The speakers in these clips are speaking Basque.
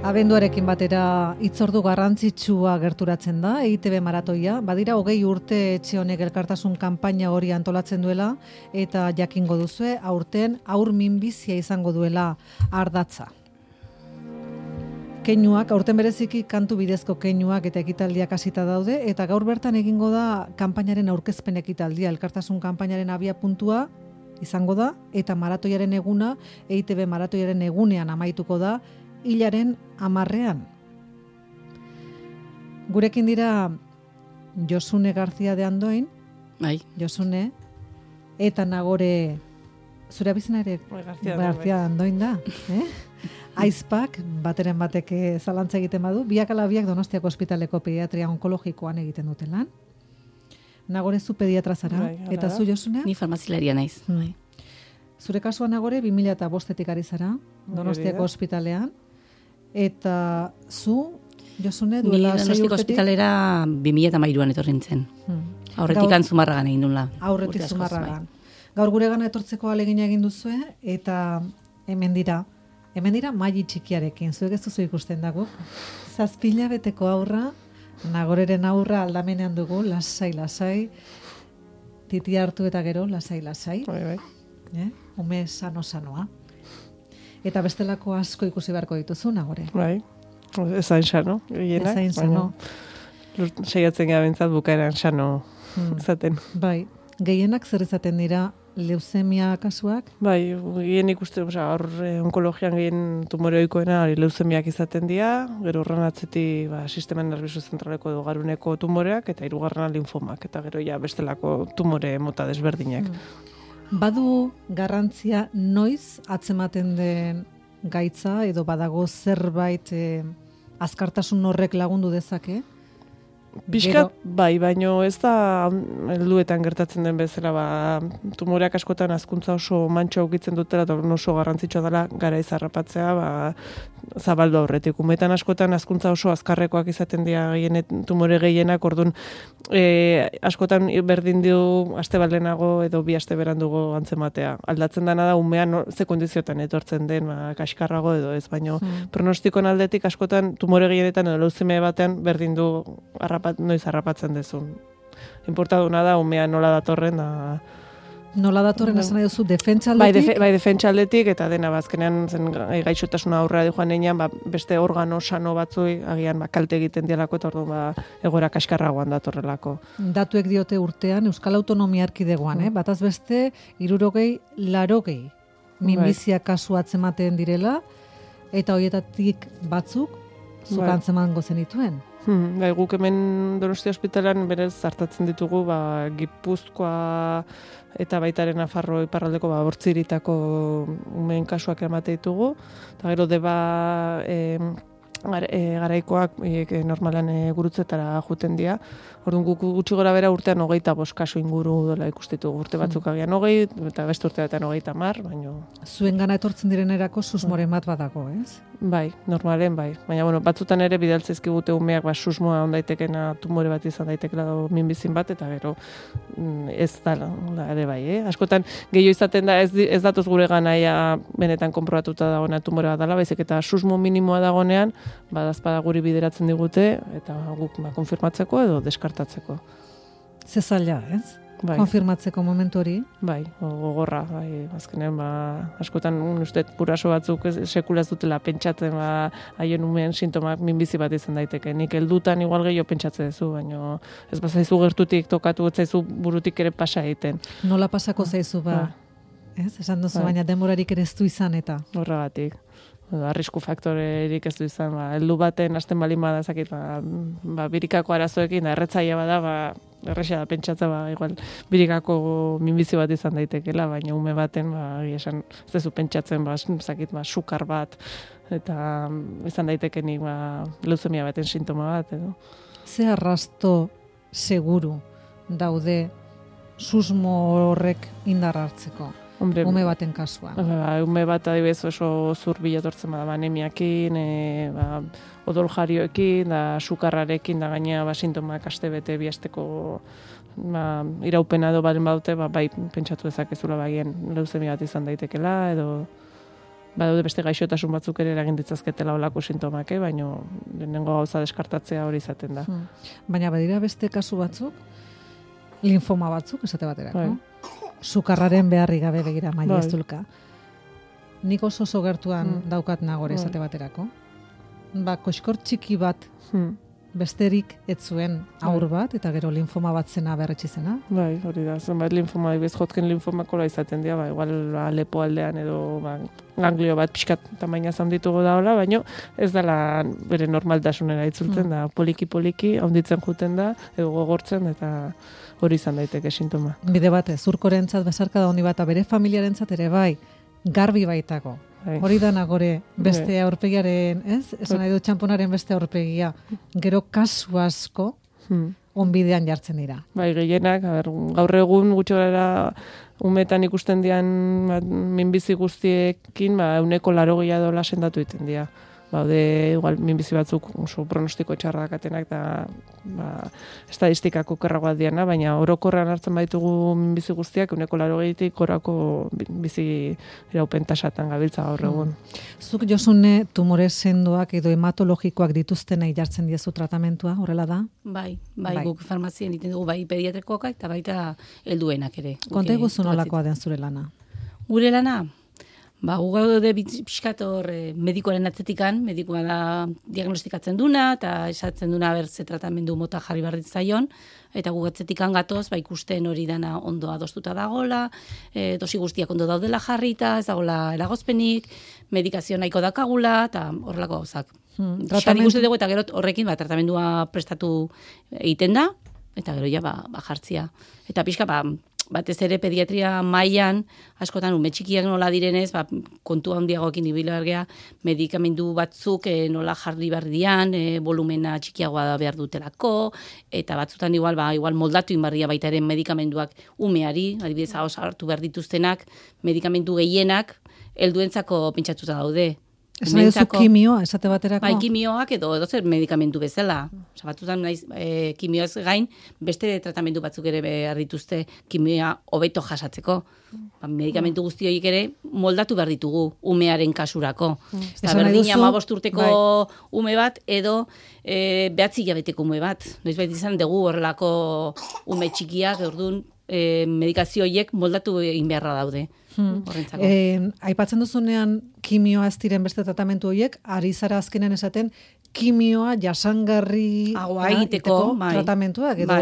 Abenduarekin batera hitzordu garrantzitsua gerturatzen da, EITB maratoia. Badira 20 urte etxe honek elkartasun kanpaina hori antolatzen duela, eta jakingo duzue, aurten haur minbizia izango duela ardatza. Keinuak, aurten bereziki kantu bidezko keinuak eta ekitaldiak hasita daude, eta gaur bertan egingo da kanpainaren aurkezpen ekitaldia, elkartasun kanpainaren abia puntua izango da, eta maratoiaren eguna, EITB maratoiaren egunean amaituko da, hilaren 10ean. Gurekin dira Josune García de Andoin, bai. Josune, eta Nagore, zure abizena ere García de Andoin da, Aizpak, bateren batek zalantza egiten badu, biak ala biak Donostiako ospitaleko pediatria onkologikoan egiten duten lan. Nagore zu pediatra zara, eta zu Josune? Ni farmazilaria naiz. Bai. Zure kasuan Nagore 2005 ari zara, Donostiako ospitalean, eta zu, Josune, duela 6 urtetik? Ni Donostiako ospitalera 2013an etorri nintzen. Aurretik Zumarragan egin nuen. Aurretik Zumarragan. Gaur gure gana etortzeko alegina egin duzue, eta hemen dira maili txikiarekin, zuek ez duzu ikusten dago. 7 hilabeteko aurra, Nagoreren aurra aldamenean dugu, lasai, titi hartu eta gero, lasai. Bai. Ume sanoa. Eta bestelako asko ikusi beharko dituzu, Nagore. Bai, ezain sano. Ezain sano. Saiatzen gara bintzat bukaeran sano izaten. Bai, gehienak zer izaten dira leuzemia kasuak? Bai, gehien ikusten, onkologian gehien tumore ohikoena leuzemiak izaten dira, gero horren atzetik sistema nervioso zentraleko edo garuneko tumoreak, eta hirugarrena linfomak, eta gero bestelako tumore mota desberdinak. Badu garrantzia noiz atzematen den gaitza edo badago zerbait azkartasun horrek lagundu dezake? Piskat, bai, baino ez da helduetan gertatzen den bezala, tumoreak askotan hazkuntza oso mantxo aukitzen dutela, eta oso garrantzitsua dela garaiz harrapatzea, zabaldu aurretik. Umetan askotan hazkuntza oso azkarrekoak izaten dira tumore gehienak, orduan askotan berdin du aste balenago edo 2 aste berandugo antzematea. Aldatzen dena da umean ze kondiziotan etortzen den, kaskarrago edo ez, baino pronostikoen aldetik askotan tumore gehienetan edo leuzemia batean berdin du noiz harrapatzen dezun. Inportaduna da umea nola datorren da. Nola datorren esan nahi duzu defentsa aldetik? Bai, defentsa aldetik, eta dena bazkenean zen gaixotasuna aurrera joan einean, beste organo sano batzui agian kalte egiten dialako, eta orduan egoera kaskarragoan datorrelako. Datuek diote urtean Euskal Autonomia Erkidegoan, bataz beste 60-80 minbizia kasu atzematen direla, eta horietatik batzuk zuk antzemango zenituen. Guk hemen Donostia ospitalean berez hartatzen ditugu Gipuzkoa eta baitaren Nafarro iparraldeko Bortziritako umeen kasuak emate ditugu, eta gero deba garaikoak normalan gurutzetara juten dira. Orduan guk gutxi gora bera urtean 25 kasu inguru dela ikustitugu, urte batzuk agian 20, eta beste urteetan 30, baino. Zuen gana etortzen direnerako susmoren bat badago, ez? Bai, normalen bai. Baina, batzutan ere bidaltzaizkigute umeak susmoa ondaitekena tumore bat izan daitekela minbizin bat, eta gero ez da ere bai, Askotan, gehiago izaten da ez datoz gure ganaia benetan konprobatuta dagoena tumore bat dela, baizik eta susmo minimoa dagonean, badazpada guri bideratzen digute, eta guk konfirmatzeko edo deskartatzeko. Ze zaila, ez? Bai. Konfirmatzeko momentu hori? Bai, gogorra, azkenean, askotan uste guraso batzuk sekula ez dutela pentsatzen, haien umeen sintomak minbizi bat izan daiteke. Nik heldutan igual gehiago pentsatzen duzu, baina ez bazaizu gertutik tokatu, ez zaizu burutik ere pasa egiten. Nola pasako zaizu, ez? Esan duzu, baina denborarik ere ez du izan eta? Horregatik. Arrisku faktorerik ez du izan, heldu baten hasten balin bada zakit, birikako arazoekin, erretzaia bada, erresa da pentsatza, igual birikako minbizi bat izan daitekela, baina ume baten, esan, ez dezu pentsatzen, zakit, sukar bat, eta izan daitekenik, leuzemia baten sintoma bat, edo. Ze arrasto seguru daude susmo horrek indar hartzeko? Ume baten kasua. Ume bat adibidez oso zurbil etortzen bada, anemiakin, odol jarioekin, da sukarrarekin, da gaina sintomak astebete 2 asteko iraupena edo balen badute, bai pentsatu dezakezula bagien leuzemia bat izan daitekela, edo badaude beste gaixotasun batzuk ere eragin ditzazketela olako sintomak, baina lehenengo gauza deskartatzea hori izaten da. Baina badira beste kasu batzuk, linfoma batzuk, esate baterako. Sukarraren beharri gabe begira maila eztulka. Nik oso gertuan daukat nagore esate baterako. Koxkor txiki bat besterik ez zuen aur bat, eta gero linfoma bat zena berretsi zena. Bai, hori da, zenbait linfoma, Hodgkin linfomakola izaten dira, igual lepo aldean edo ganglio bat pixkat tamaina handituko da hola, baina ez dela bere normaltasunera itzultzen da, poliki handitzen juten da, edo gogortzen, eta hori izan daiteke sintoma. Bide batez, zurkorentzat bezarka da honi bat, bere familiarentzat ere bai, garbi baitako. Hori da nagore beste aurpegiaren, ez? Esan nahi dut txamponaren beste aurpegia. Gero kasu asko onbidean jartzen dira. Bai, gehienak, gaur egun gutxorara umetan ikusten dian minbizi guztiekin, 180 dola sendatu egiten dira. Baude, igual, minbizi batzuk oso pronostiko txarrak atenak eta estadistikako kerragoa diana, baina orokorrean hartzen baitugu minbizi guztiak 180tik gorako bizi iraupen tasatan gabiltza gaur egun. Zuk Josune tumore sendoak edo hematologikoak dituztenei jartzen diezu tratamentua, horrela da? Bai, guk farmazien egiten dugu bai pediatrikoak eta baita helduenak ere. Konta iguzu nolakoa den zure lana? Gure lana? Gu gaude pixkat hor medikoaren atzetikan, medikoa da diagnostikatzen duna, eta esatzen duna berze tratamendu mota jarri behar ditzaion, eta gu atzetikan gatoz, ikusten hori dana ondo adostuta dagola, dosi guztiak ondo daudela jarrita, ez dagoela eragozpenik, medikazio nahiko dakagula, eta horrelako gauzak. Tratamendu ikusten dugu, eta gero horrekin tratamendua prestatu egiten da, eta gero ja jartzia. Eta pixka, batez ere pediatria mailan askotan ume txikiak nola direnez, kontu handiagoekin ibilargea, medikamendu batzuk nola jarri behar dian, volumena txikiagoa behar dutelako, eta batzutan igual moldatu inbarria baita ere medikamenduak umeari, adibidez hartu behar dituztenak, medikamendu gehienak helduentzako pentsatuta daude. Ez nahi duzu kimioa, esate baterako? Bai, kimioak edo zer medikamentu bezala. Batzutan kimioaz gain, beste tratamendu batzuk ere behar dituzte kimioa hobeto jasatzeko. Medikamentu guzti horiek ere moldatu behar ditugu umearen kasurako. Eta berdina 15 urteko ume bat edo 9 hilabeteko ume bat. Noizbait izan dugu horrelako ume txikiak, orduan medikazio horiek moldatu egin beharra daude. Aipatzen duzunean kimioa ez diren beste tratamentu horiek, ari zara azkenen esaten kimioa jasangarri egiteko tratamentuak, edo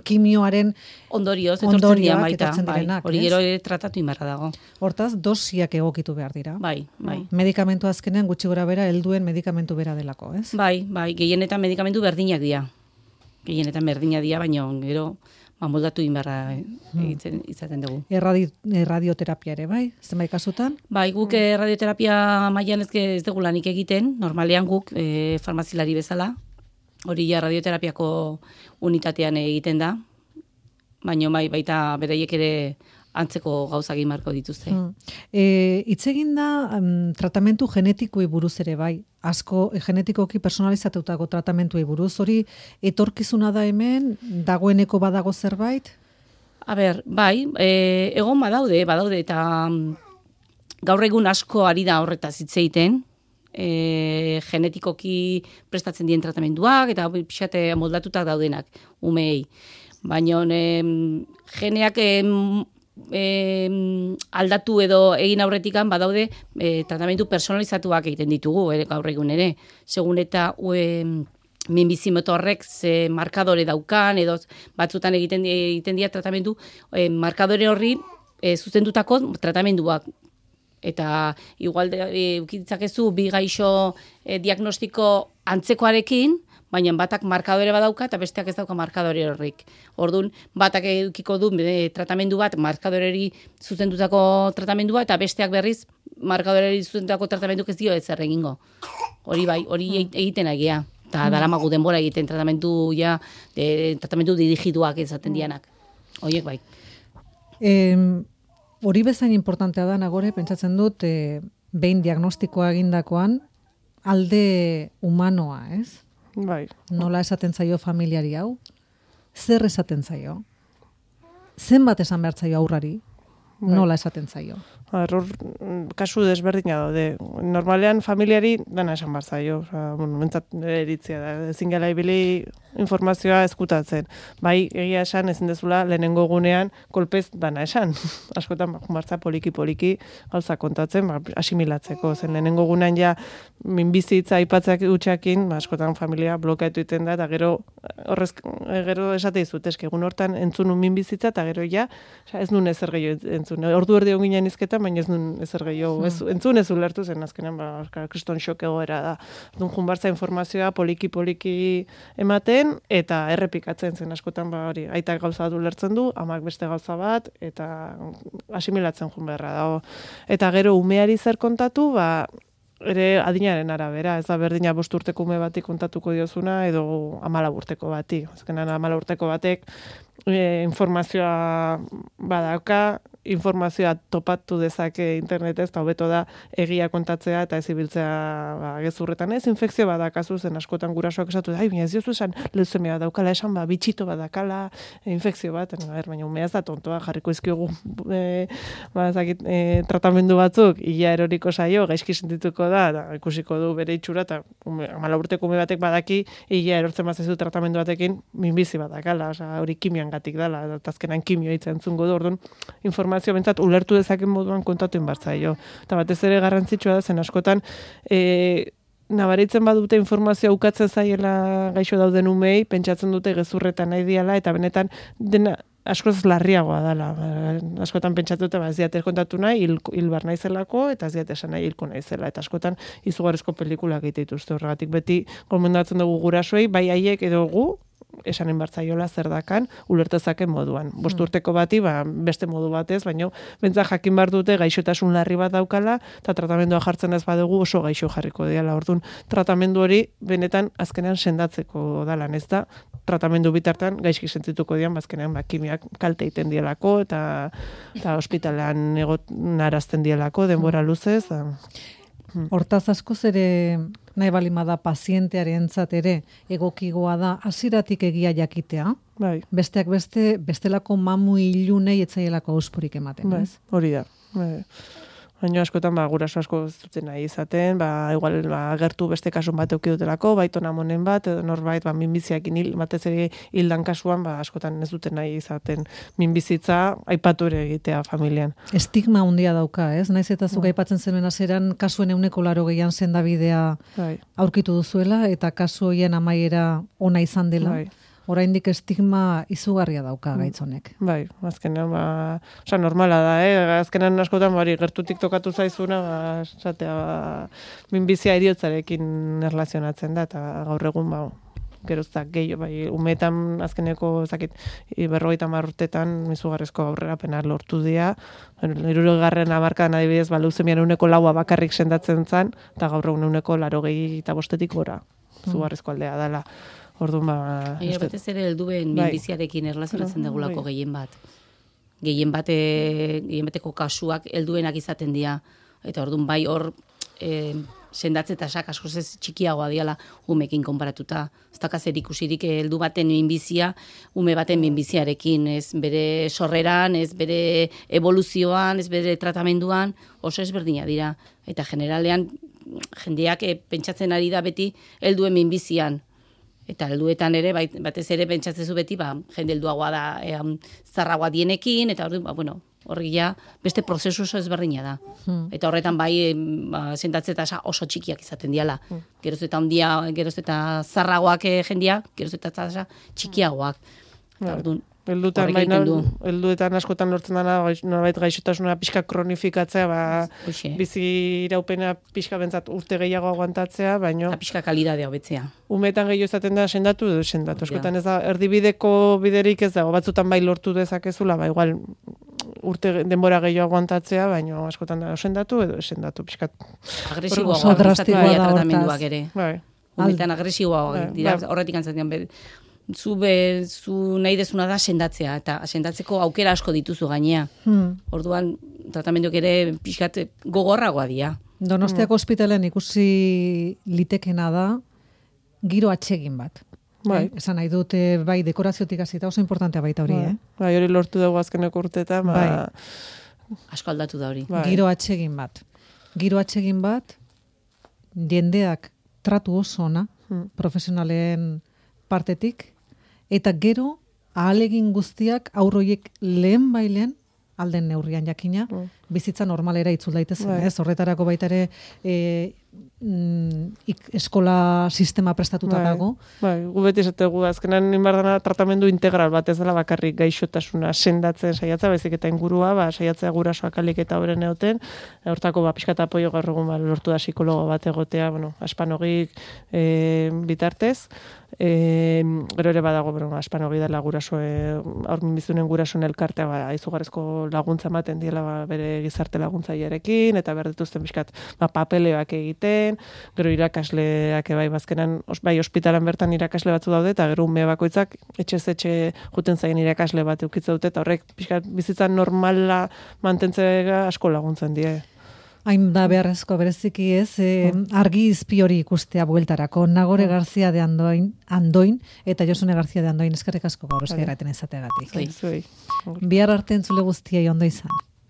kimioaren ondorioak etortzen direnak. Hori gero tratatu inbarra dago. Hortaz, dosiak egokitu behar dira. Bai. Medikamentu azkenean gutxi gora bera helduen medikamentu bera delako, ez? Bai, gehienetan medikamentu berdinak dira. Baina gero moldatu inbarra izaten dugu. Radioterapia ere, bai? Zenbait kasutan? Bai, guk radioterapia mailan ez dugu lanik egiten, normalean guk farmazilari bezala, hori ja radioterapiako unitatean egiten da, baina baita beraiek ere antzeko gauzak marko dituzte. Hitz egin da tratamentu genetikoi buruz ere bai, asko genetikoki personalizatutako tratamentuei buruz, hori etorkizuna da hemen, dagoeneko badago zerbait? Bai, egon badaude, eta gaur egun asko ari da horretaz hitz egiten, genetikoki prestatzen dien tratamenduak, eta pixate moldatutak daudenak, umeei. Baina geneak aldatu edo egin aurretikan badaude tratamendu personalizatuak egiten ditugu gaur egun ere. Segun eta minbizi motorrek ze markadore daukan edo batzutan egiten dira tratamendu markadore horri zuzendutako tratamenduak. Eta igual ukitzakezu bi gaixo diagnostiko antzekoarekin, baina batak markadore badauka eta besteak ez dauka markadore horrik. Orduan, batak edukiko du tratamendu bat markadoreri zuzendutako tratamendua eta besteak berriz markadoreri zuzendutako tratamenduk ez dio ezer egingo. Hori bai, hori egiten agia. Eta daramagu denbora egiten tratamendu dirigiduak izaten dianak. Horiek bai. Hori bezain importantea da nagore, pentsatzen dut, behin diagnostikoa egindakoan alde humanoa, ez? Bai. Nola esaten zaio familiari hau? Zer esaten zaio? Zenbat esan behar zaio aurrari? nola esaten zaio. Error, kasu desberdina daude. Normalean familiari dana esan bar zaio. Mentzat eritzia da. Ezin gela ibili informazioa eskutatzen. Bai, egia esan ezin dezula lehenengo gunean kolpez dana esan. Askotan martza poliki gauza kontatzen, asimilatzeko. Zen lehenengo gunean ja minbizitza aipatzak utxakin, askotan familia blokeatu egiten da, eta gero esate dizut, egun hortan entzun minbizitza, eta gero ja, ez nun ezer gehiago entzun. Ordu erdi onginen izketan, baina ez nun ezer gehiago. Entzun ez ulertu zen, azkenan, kriston xok egoera da. Dun junbartza informazioa poliki ematen, eta errepikatzen zen askotan, hori, aitak gauza bat ulertzen du, amak beste gauza bat, eta asimilatzen jun beharra dago. Eta gero umeari zer kontatu, ere adinaren arabera, ez da berdina 5 urteko ume bati kontatuko diozuna, edo 14 urteko bati. Azkenan 14 urteko batek informazioa badauka, informazioa topatu dezake internetez, eta hobeto da egia kontatzea eta ez ibiltzea gezurretan ez, infekzio badakazu zen askotan gurasoak esatu da, baina ez diozu esan leuzemia daukala, esan bitxito badakala, infekzio bat, baina umea ez da tontoa, jarriko izkiogu tratamendu batzuk, ia eroriko saio, gaizki sentituko da, eta ikusiko du bere itxura, eta 14 urteko ume batek badaki, ia erortzen bazezu tratamendu batekin, minbizi badakala, hori kimian gatik dela, eta azkenan kimio hitzen entzungo du, orduan informazio bentzat ulertu dezaken moduan kontatu inbartzaio. Eta batez ere garrantzitsua da, zen askotan, nabaritzen badute informazioa ukatzen zaiela gaixo dauden umei, pentsatzen dute gezurretan nahi diala, eta benetan dena askoz larriagoa dela. Askotan pentsatu dute, ez diate kontatu nahi, hilbar naizelako, eta ez diate esan nahi hilko naizela. Eta askotan izugarrizko pelikulak egite dituzte horregatik. Beti gomendatzen dugu gurasoei, bai haiek edo gu, esanen bartzaiola zer dakan, ulertezaken moduan. 5 urteko bati, beste modu batez, baina bentsa jakin bar dute gaixotasun larri bat daukala, eta tratamendua jartzen ez badugu oso gaixo jarriko diala. Orduan, tratamendu hori benetan azkenean sendatzeko dalan, ez da, tratamendu bitartan gaizki sentituko dian, azkenean kimiak kalte egiten dielako, eta ospitalean egonarazten dielako, denbora luzez. Hortaz askoz ere nahi balimada pazientearentzat ere egokigoa da hasieratik egia jakitea. Bai. Besteak bestelako mamu ilunei etzaielako auspurik ematen, ez? Hori da. Baina askotan guraso asko ez duten nahi izaten, igual agertu beste kasun bat eduki dutelako, baitona monen bat, edo norbait minbiziakin batez ere hildan kasuan, askotan ez duten nahi izaten minbizitza aipatu ere egitea familian. Estigma handia dauka, ez? Naiz eta zuk aipatzen zenuen hasieran kasuen 80% sendabidea aurkitu duzuela, eta kasu horien amaiera ona izan dela. Oraindik estigma izugarria dauka gaitz honek. Bai, azkenean, normala da, azkenean askotan, gertutik tokatu zaizuna, minbizia heriotzarekin erlazionatzen da, eta gaur egun, geroztak gehiago, umeetan azkeneko, 50 urtetan, izugarrezko aurrerapena lortu dira, 60. hamarkadan adibidez, leuzemian 4% bakarrik sendatzen zen, eta gaur egun 85% gora, izugarrezko aldea dela. Orduan batez ere helduen minbiziarekin erlazionatzen degulako gehien bat. Gehien bateko kasuak helduenak izaten dira. Eta orduan bai hor sendatze tasak askoz ez txikiagoa diala umekin konparatuta. Ez dakaz erikusirik heldu baten minbizia, ume baten minbiziarekin, ez bere sorreran, ez bere evoluzioan, ez bere tratamenduan, oso ezberdina dira. Eta generalean jendeak pentsatzen ari da beti helduen minbizian. Eta helduetan ere, batez ere pentsatzezu beti, jende helduagoa da, zarragoa dienekin, eta horri beste prozesu oso ezberdina da. Eta horretan sentatze tasa oso txikiak izaten diala. Geroz eta ondia, geroz eta zarragoak jendia, geroz eta tasa txikiagoak. Helduetan askotan lortzen dena, norbait gaixotasuna pixka kronifikatzea, bizi iraupena pixka bentzat urte gehiago aguantatzea, baino... Pixka kalidadea hobetzea. Umetan gehiago izaten da sendatu edo sendatu. Askotan ez da, erdibideko biderik ez dago, batzutan lortu dezakezula, igual urte denbora gehiago aguantatzea, baino askotan da sendatu edo sendatu pixka. Agresiboa izatea tratamenduak ere. Umetan agresiboa dira, horretik antzatzen zu nahi dezuna da sendatzea, eta sendatzeko aukera asko dituzu gainea. Orduan, tratamenduak ere pixkat gogorragoa dira. Donostiako ospitalean ikusi litekena da giro atsegin bat. Esan nahi dut, dekoraziotik hasita oso importantea baita hori, Hori lortu dugu azkeneko urteetan, Asko aldatu da hori. Bai. Giro atsegin bat. Giro atsegin bat, jendeak tratu oso ona, profesionalen partetik, eta gero ahalegin guztiak aurroiek lehen bailen, alden neurrian jakina, bizitza normalera itzul daitezen, ez? Horretarako baita ere eskola sistema prestatuta dago. Bai, gu beti esategu azkenan inbardana tratamendu integral bat ez dela bakarrik gaixotasuna sendatzen saiatza, baizik eta ingurua, saiatzea gurasoak alik eta horren egoten, hortako pixkat apoio gaur egun lortu da psikologo bat egotea, aspanogik bitartez, gero ere badago, aspanogi dela aurmin bizunen gurasoen elkartea, izugarrizko laguntza ematen diela bere gizarte laguntzailearekin, eta behar dituzten pixkat papeleoak egiten, gero irakasleak bai bazkenan, bai ospitalan bertan irakasle batzu daude, eta gero ume bakoitzak etxe juten zaien irakasle bat eukitza dute, eta horrek pixkat bizitza normala mantentzea asko laguntzen die. Hain da beharrezko bereziki ez, argi izpi hori ikustea bueltarako. Nagore Garzia de Andoin, eta Josune Garzia de Andoin, eskerrik asko gaur eskairaten izateagatik. Zuei. Bihar arte entzule guztiei ondo izan.